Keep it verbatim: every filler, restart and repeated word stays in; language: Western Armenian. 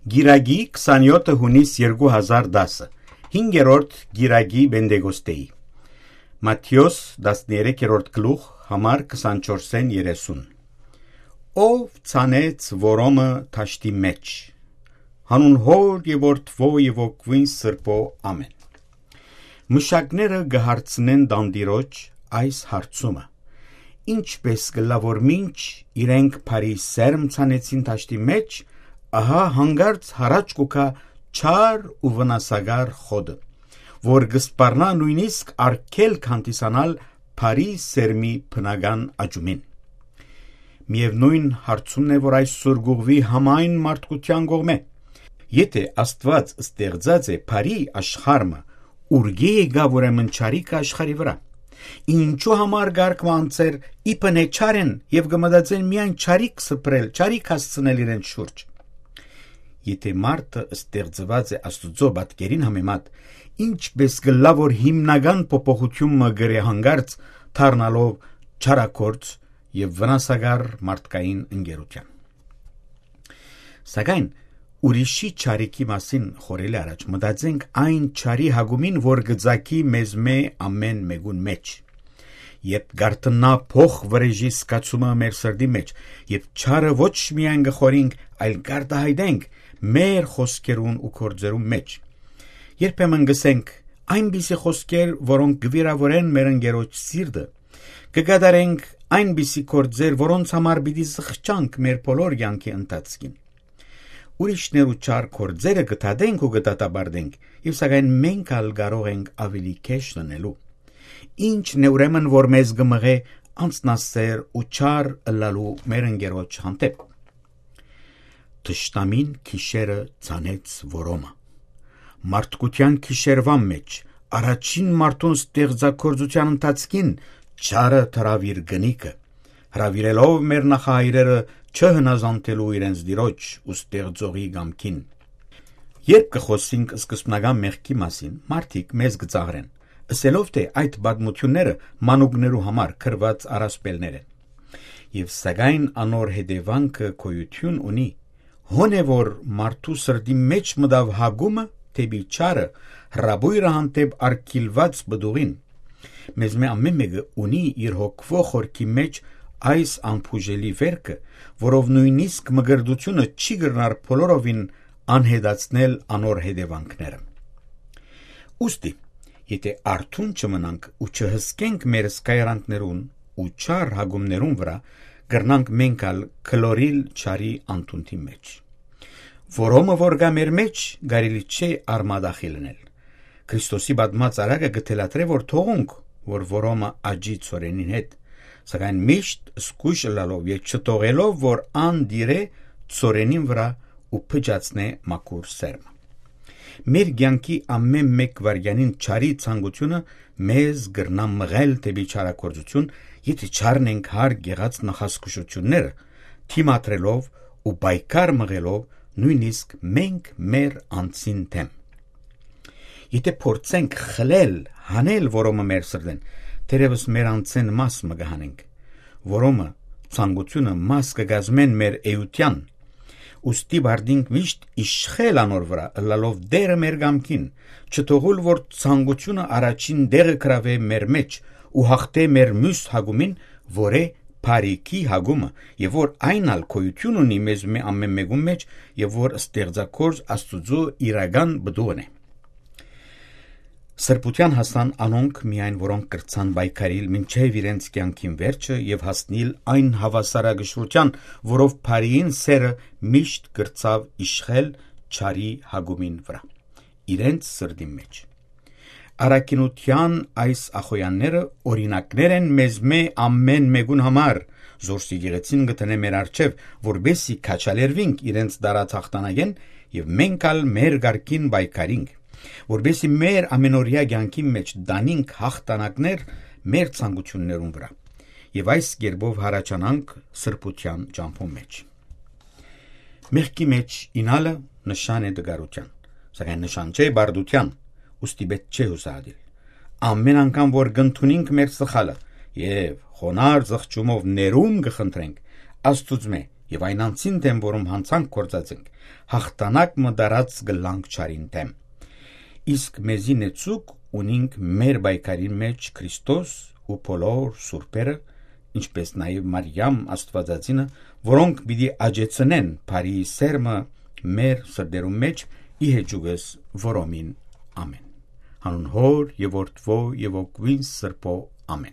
Կիրակի քսանեօթը յունիս երկու հազար տասը, հինգերորդ կիրակի Պենտեկոստէի։ Մատթէոս տասներեքերորդ գլուխ, համար քսանչորսէն երեսուն։ Ով ցանեց որոմը դաշտի մէջ, հանուն Հօր եւ Որդի եւ Հոգիին Սրբի, ամէն։ Մշակները կը հարցնեն տանտիրոջ այս հարցումը. «Ինչպէս կ'ըլլայ որ մինչ իրենք բարի սերմ ցանեցին դաշտի մէջ, ահա յանկարծ յառաջ կու գայ չար ու վնասակար խոտը, որ կը սպառնայ նոյնիսկ արգելք հանդիսանալ բարի սերմի բնական աճումին»։ Միեւնոյն հարցումն է, որ այսօր կ'ուղղուի համայն մարդկութեան կողմէ. «Եթէ Աստուած ստեղծած է բարի աշխարհը, ուրկէ՞ եկաւ ուրեմն չարիքը աշխարհի վրայ։ Ինչո՞ւ համար կարգ մը անձեր իբնէ չար են եւ կը մտածեն միայն չարիք սփռել, չարիք հասցնել իրենց շուրջ»։ Եթէ մարդը ստեղծուած է Աստուծոյ պատկերին համեմատ, ինչպէս կ'ըլլայ որ հիմնական փոփոխութիւն մը կրէ յանկարծ դառնալով չարագործ եւ վնասակար մարդկային ընկերութեան։ Սակայն ուրիշի չարիքի մասին խորհելի առաջ մտածենք այն չարի հակումին, որ կը ծագի մեզմէ ամէն մէկուն մէջ։ Երբ կ'արթնայ փոխ վրէժի զգացումը մեր սրտի մէջ, երբ չարը ոչ միայն կը խորհենք, այլ կ'արտայայտենք մեր խօսքերուն ու գործերուն մէջ, երբեմն կ'ըսենք այնպիսի խօսքեր, որոնք կը վիրաւորեն մեր ընկերոջ սիրտը, կը կատարենք այնպիսի գործեր, որոնց համար պիտի զղջանք մեր բոլոր կեանքի ընթացքին։ Ուրիշներու չար գործերը կը դատենք ու կը դատապարտենք, եւ սակայն մենք ալ կարող ենք ավելի քեշ լինելու։ Ի՞նչն է ուրեմն, որ մեզ կը մղէ անձնասէր ու չար ըլլալու մեր ընկերոջ հանդէպ։ Թշնամին գիշերը ցանեց որոմը։ Մարդկութեան գիշերուան մէջ, առաջին մարդուն ստեղծագործութեան ընթացքին, չարը դրաւ իր կնիքը, հրաւիրելով մեր նախահայրերը չհնազանդելու իրենց Տիրոջ ու Ստեղծողի կամքին։ Երբ կը խօսենք սկզբնական մեղքի մասին, մարդիկ մեզ կը ծաղրեն, ըսելով թէ այդ պատմութիւնները մանուկներու համար գրուած առասպելներ են։ Եւ սակայն անոր հետեւանքը գոյութիւն ունի։ Հոն է որ մարդու սրտի մէջ մտաւ հակումը դէպի չարը, հրապոյրը հանդէպ արգիլուած պտուղին։ Մեզմէ ամէն մէկը ունի իր հոգւոյ խորքի մէջ այս անբուժելի վէրքը, որով նոյնիսկ մկրտութիւնը չի կրնար բոլորովին անհետացնել անոր հետեւանքները։ Ուստի, եթէ արթուն չմնանք ու չհսկենք մեր սկայարանքներուն ու չար հակումներուն վրայ, կրնանք մենք ալ գլորիլ չարի անդունդի մէջ։ Որոմը որ կայ մեր մէջ, կարելի չէ արմատախիլ ընել։ Քրիստոսի պատմած արարքը կը թելադրէ, որ թողունք, որ որոմը աճի ցորենին հետ, սակայն միշտ զգոյշ ըլլալով եւ չթողելով, որ ան տիրէ ցորենին վրայ ու փճացնէ մաքուր սերմը։ Մեր կեանքի ամէն մէկ վայրկեանին չարի ցանկութիւնը մեզ կրնայ մղել դէպի չարագործութիւն, եթէ չառնենք հարգ եղած նախազգուշութիւնները, դիմադրելով ու պայքար մղելով նոյնիսկ մենք մեր անձին դէմ։ Եթէ փորձենք խլել, հանել որոմը մեր սրտէն, թերեւս մեր անձէն մաս մը կը հանենք։ Որոմը, ցանկութիւնը մաս կը կազմեն մեր էութեան, ուստի պարտինք միշտ իշխել անոր վրայ, ըլլալով Տէրը մեր կամքին, չթողուլ որ ցանկութիւնը առաջին տեղը գրաւէ մեր մէջ ու յաղթէ մեր միւս հակումին, որ է բարիքի հակումը, եւ որ այն ալ գոյութիւն ունի մեզմէ ամէն մէկուն մէջ, եւ որ ստեղծագործ Աստուծոյ իրական պտուղն է։ Սրբութեան հասան անոնք միայն, որոնք կրցան պայքարիլ մինչեւ իրենց կեանքին վերջը եւ հասնիլ այն հաւասարակշռութեան, որով բարիին սերը միշտ կրցաւ իշխել չարի հակումին վրայ, իրենց սրտին մէջ։ Առաքինութեան այս ախոյանները օրինակներ են մեզմէ ամէն մէկուն համար, զորս եկեղեցին կը դնէ մեր առջեւ, որպեսզի քաջալերուինք իրենց տարած յաղթանակէն եւ մենք ալ մեր կարգին պայքարինք, որպեսզի մեր ամենօրեայ կեանքին մէջ տանինք յաղթանակներ մեր ցանկութիւններուն վրայ եւ այս կերպով հառաչանանք սրբութեան ճամբուն մէջ։ Մեղքի մէջ ինալը նշան է տկարութեան, սակայն նշան չէ բարդութեան, ուստի պէտք չէ յուսահատիլ։ Ամէն անգամ որ կ'ընդունինք մեր սխալը եւ խոնարհ զղջումով ներում կը խնդրենք Աստուծմէ եւ այն անձին դէմ, որուն յանցանք գործած ենք, յաղթանակ մը տարած կ'ըլլանք չարին դէմ։ Իսկ մեզի նեցուկ ունինք մեր պայքարին մէջ Քրիստոս ու բոլոր սուրբերը, ինչպէս նաեւ Մարիամ Աստուածածինը, որոնք պիտի աճեցնեն բարի սերմը մեր սրտերուն մէջ, ի հեճուկս որոմին։ Ամէն։ Հանուն Հօր եւ Որդւոյ եւ Հոգւոյն Սրբոյ։ Ամէն։